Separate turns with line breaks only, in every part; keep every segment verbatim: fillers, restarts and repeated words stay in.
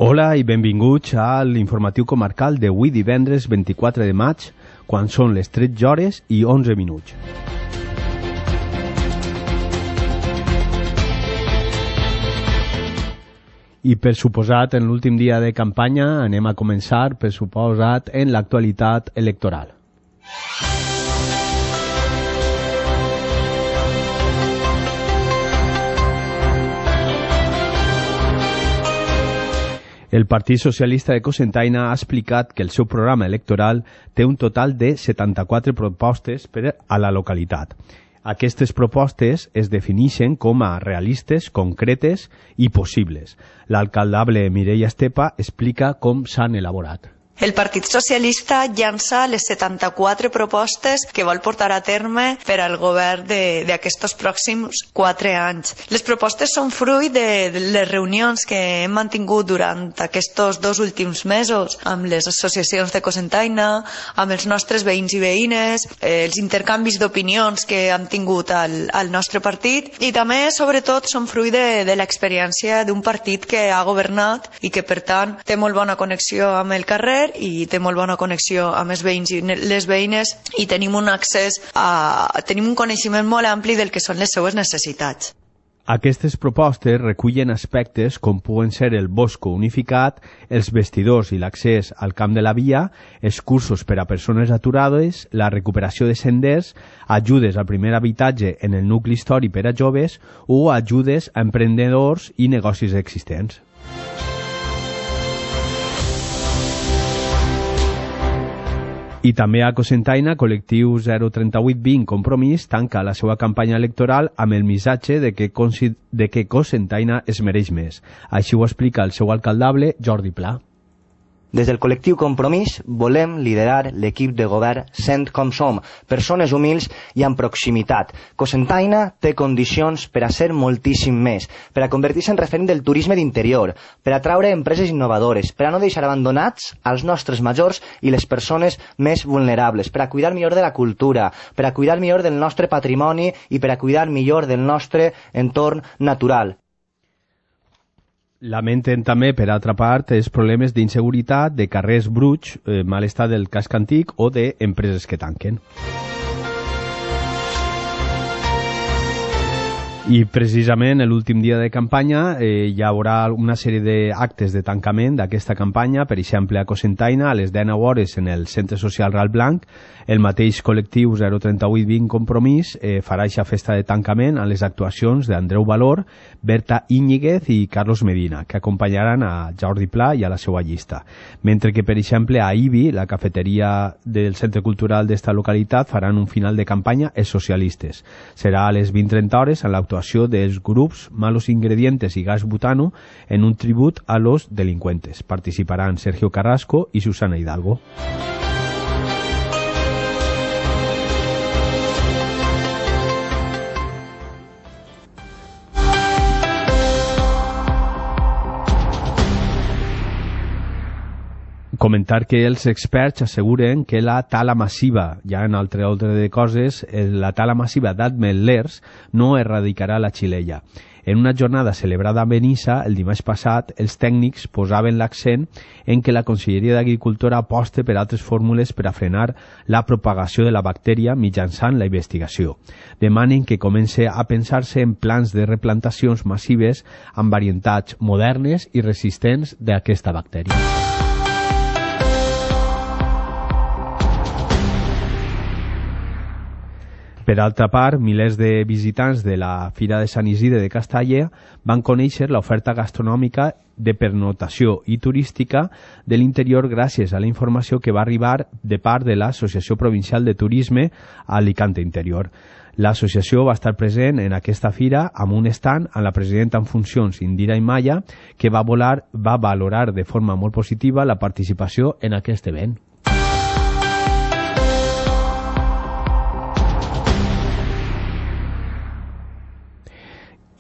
Hola i benvinguts a l'informatiu comarcal d'avui divendres vint-i-quatre de maig, quan són les tretze hores i onze minuts. I per suposat, en l'últim dia de campanya anem a començar, per suposat, en l'actualitat electoral. El Partit Socialista de Cocentaina ha explicat que el seu programa electoral té un total de setanta-quatre propostes per a la localitat. Aquestes propostes es defineixen com a realistes, concretes i possibles. L'alcaldable Mireia Estepa explica com s'han elaborat.
El Partit Socialista llança les setanta-quatre propostes que vol portar a terme per al govern d'aquests pròxims quatre anys. Les propostes són fruit de les reunions que hem mantingut durant aquests dos últims mesos amb les associacions de Cocentaina, amb els nostres veïns i veïnes, els intercanvis d'opinions que hem tingut al, al nostre partit i també, sobretot, són fruit de, de l'experiència d'un partit que ha governat i que, per tant, té molt bona connexió amb el carrer i té molt bona connexió amb els veïns i les veïnes i tenim un accés a, tenim un coneixement molt ampli del que són les seues necessitats.
Aquestes propostes recullen aspectes com puguen ser el bosco unificat, els vestidors i l'accés al camp de la via, els cursos per a persones aturades, la recuperació de senders, ajudes al primer habitatge en el nucli històric per a joves o ajudes a emprenedors i negocis existents. I també a Cocentaina, col·lectiu zero tres vuit vint Compromís tanca la seva campanya electoral amb el missatge de que, de que Cocentaina es mereix més. Així ho explica el seu alcaldable, Jordi Pla.
Des del col·lectiu Compromís volem liderar l'equip de govern sent com som, persones humils i amb proximitat. Cocentaina té condicions per a ser moltíssim més, per a convertir-se en referent del turisme d'interior, per a atraure empreses innovadores, per a no deixar abandonats als nostres majors i les persones més vulnerables, per a cuidar millor de la cultura, per a cuidar millor del nostre patrimoni i per a cuidar millor del nostre entorn natural.
Lamenten també, per altra part, els problemes d'inseguretat, de carrers bruts, eh, mal estat del casc antic o d'empreses que tanquen. I precisament l'últim dia de campanya eh, hi haurà una sèrie d'actes de tancament d'aquesta campanya, per exemple a Cocentaina a les dinou hores en el Centre Social Ral Blanc. El mateix col·lectiu zero tres vuit vint Compromís eh, farà aquesta festa de tancament a les actuacions d'Andreu Valor, Berta Íñiguez i Carlos Medina, que acompanyaran a Jordi Pla i a la seva llista. Mentre que, per exemple, a Ibi, la cafeteria del Centre Cultural d'esta localitat, faran un final de campanya els socialistes. Serà a les vint trenta hores en l'actuació dels grups Malos Ingredientes i Gas Butano en un tribut a los delincuentes. Participaran Sergio Carrasco i Susana Hidalgo. Comentar que els experts asseguren que la tala massiva, ja en altre ordre de coses, la tala massiva d'ametllers no erradicarà la xilella. En una jornada celebrada a Benissa el dimarts passat, els tècnics posaven l'accent en que la Conselleria d'Agricultura aposta per altres fórmules per a frenar la propagació de la bactèria mitjançant la investigació. Demanen que comence a pensar-se en plans de replantacions massives amb varietats modernes i resistents d'aquesta bactèria. Per altra part, milers de visitants de la Fira de Sant Isidre de Castalla van conèixer l'oferta gastronòmica de pernotació i turística de l'interior gràcies a la informació que va arribar de part de l'Associació Provincial de Turisme a Alicante Interior. L'associació va estar present en aquesta fira amb un stand amb la presidenta en funcions Indira Imaya, que va, volar, va valorar de forma molt positiva la participació en aquest event.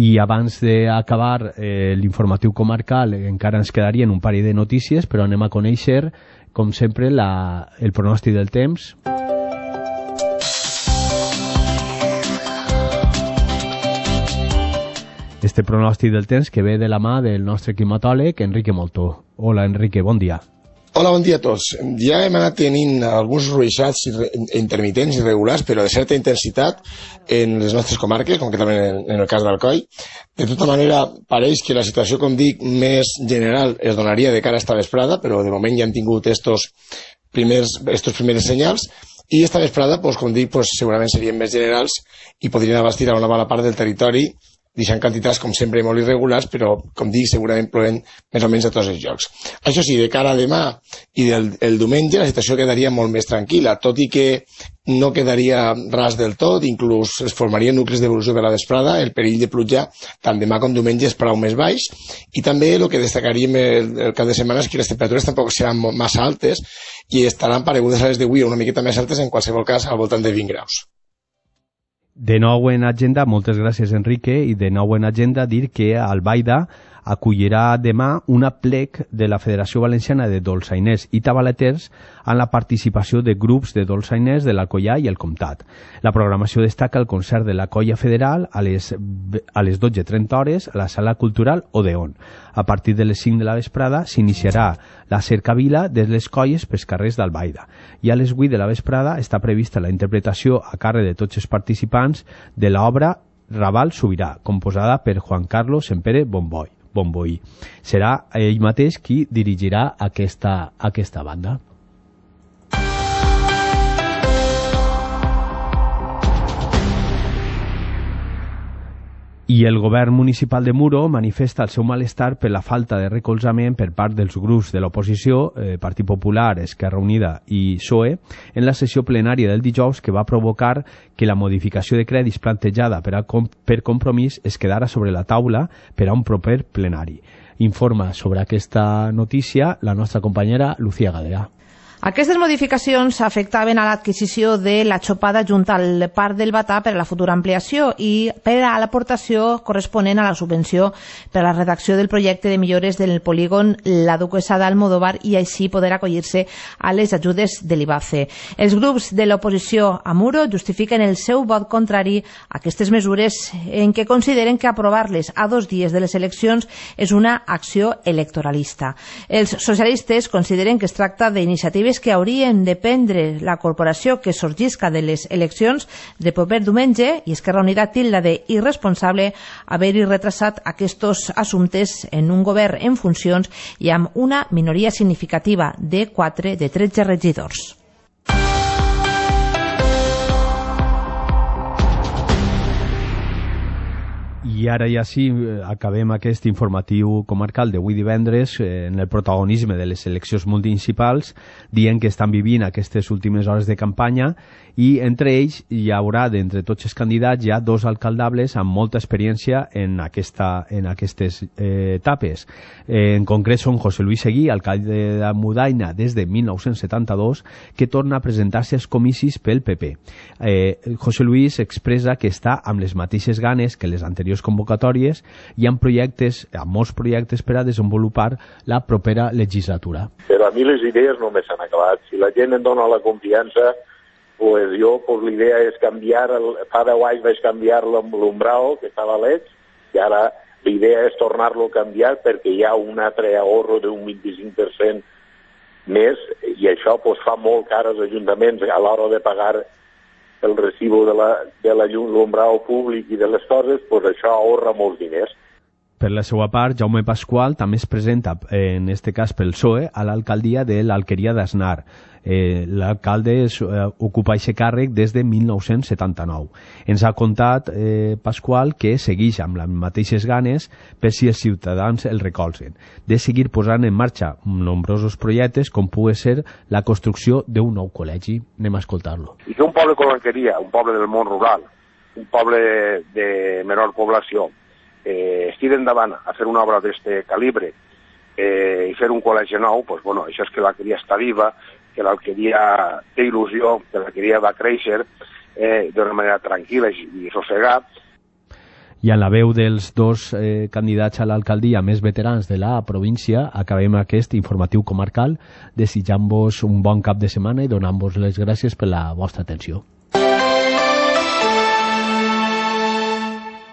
I abans d'acabar eh, l'informatiu comarcal encara ens quedarien un parell de notícies, però anem a conèixer, com sempre, la, el pronòstic del temps. Este este pronòstic del temps que ve de la mà del nostre climatòleg Enrique Moltó. Hola, Enrique, bon dia.
Hola, bon dia a tots. Ja hem anat tenint alguns ruixats intermitents i regulars, però de certa intensitat en les nostres comarques, concretament en el cas d'Alcoi. De tota manera, pareix que la situació, com dic, més general es donaria de cara a esta vesprada, però de moment ja hem tingut estos primers, estos primers senyals, i esta vesprada, pues, com dic, pues, segurament serien més generals i podrien abastir a una bona part del territori, deixant quantitats, com sempre, molt irregulars, però, com dic, segurament plovent més o menys a tots els llocs. Això sí, de cara a demà i del el diumenge, la situació quedaria molt més tranquil·la, tot i que no quedaria ras del tot, inclús es formarien nuclis d'evolució per la vesprada, el perill de pluja tant demà com diumenge és prou més baix, i també el que destacaríem el, el cap de setmana és que les temperatures tampoc seran massa altes i estaran paregudes a les d'avui, una miqueta més altes, en qualsevol cas al voltant de vint graus.
De nou en agenda, moltes gràcies Enrique, i de nou en agenda dir que Albaida acollirà demà un aplec de la Federació Valenciana de Dolçainers i Tabaleters en la participació de grups de dolçainers de l'Alcoià i el Comtat. La programació destaca el concert de la Colla Federal a les, a les dotze trenta hores a la Sala Cultural Odeon. A partir de les cinc de la vesprada s'iniciarà la cercavila de les colles pels carrers d'Albaida i a les vuit de la vesprada està prevista la interpretació a càrrec de tots els participants de l'obra Raval Sobirà, composada per Juan Carlos Sempere Bomboy. Bomboí. Serà ell mateix qui dirigirà aquesta, aquesta banda. I el govern municipal de Muro manifesta el seu malestar per la falta de recolzament per part dels grups de l'oposició, eh, Partit Popular, Esquerra Unida i P S O E, en la sessió plenària del dijous que va provocar que la modificació de crèdits plantejada per, a, per Compromís es quedara sobre la taula per a un proper plenari. Informa sobre aquesta notícia la nostra companyera Lucía Gadea.
Aquestes modificacions afectaven a l'adquisició de la xopada junt al Parc del Batà per a la futura ampliació i per a l'aportació corresponent a la subvenció per a la redacció del projecte de millores del polígon La Duquesa d'Almodóvar i així poder acollir-se a les ajudes de l'I B A C E. Els grups de l'oposició a Muro justifiquen el seu vot contrari a aquestes mesures en què consideren que aprovar-les a dos dies de les eleccions és una acció electoralista. Els socialistes consideren que es tracta d'iniciatives que haurien de prendre la corporació que sorgisca de les eleccions de proper diumenge i Esquerra Unida tilda de irresponsable haver-hi retrasat aquests assumptes en un govern en funcions i amb una minoria significativa de quatre de tretze regidors.
I ara ja sí, acabem aquest informatiu comarcal d'avui divendres eh, en el protagonisme de les eleccions municipals, dient que estan vivint aquestes últimes hores de campanya i entre ells hi haurà, d'entre tots els candidats, ja dos alcaldables amb molta experiència en, aquesta, en aquestes eh, etapes. Eh, en concret són José Luis Seguí, alcalde de Mudaina des de mil nou-cents setanta-dos, que torna a presentar-se als comicis pel P P. Eh, José Luis expressa que està amb les mateixes ganes que les anteriors convocatòries i amb projectes, amb molts projectes per a desenvolupar la propera legislatura.
Però a mi les idees no me s'han acabat. Si la gent em dona la confiança, pues jo, pues l'idea és canviar, el, fa deu anys vaig canviar l'umbral, que estava a l'Eix, i ara l'idea és tornar-lo a canviar perquè hi ha un altre ahorro d'un vint-i-cinc per cent més, i això pues, fa molt car als ajuntaments a l'hora de pagar el recibo de la, de la llum, l'umbral públic i de les coses, pues això ahorra molts diners.
Per la seva part, Jaume Pasqual també es presenta, en este cas pel P S O E, a l'alcaldia de l'Alqueria d'Asnar. Eh, L'alcalde eh, ocupa aquest càrrec des de mil nou-cents setanta-nou. Ens ha contat eh, Pasqual que segueix amb les mateixes ganes per si els ciutadans el recolzen, de seguir posant en marxa nombrosos projectes com pugui ser la construcció d'un nou col·legi. Anem a escoltar-lo.
I que un poble com l'Alqueria, un poble del món rural, un poble de menor població, eh, estigui endavant a fer una obra d'este calibre eh, i fer un col·legi nou, pues, bueno, això és que l'Alqueria està viva, que l'Alqueria té il·lusió, que l'Alqueria va créixer eh, d'una manera tranquil·la i sossegada.
I en la veu dels dos eh, candidats a l'alcaldia més veterans de la província, acabem aquest informatiu comarcal desitjant-vos un bon cap de setmana i donant-vos les gràcies per la vostra atenció.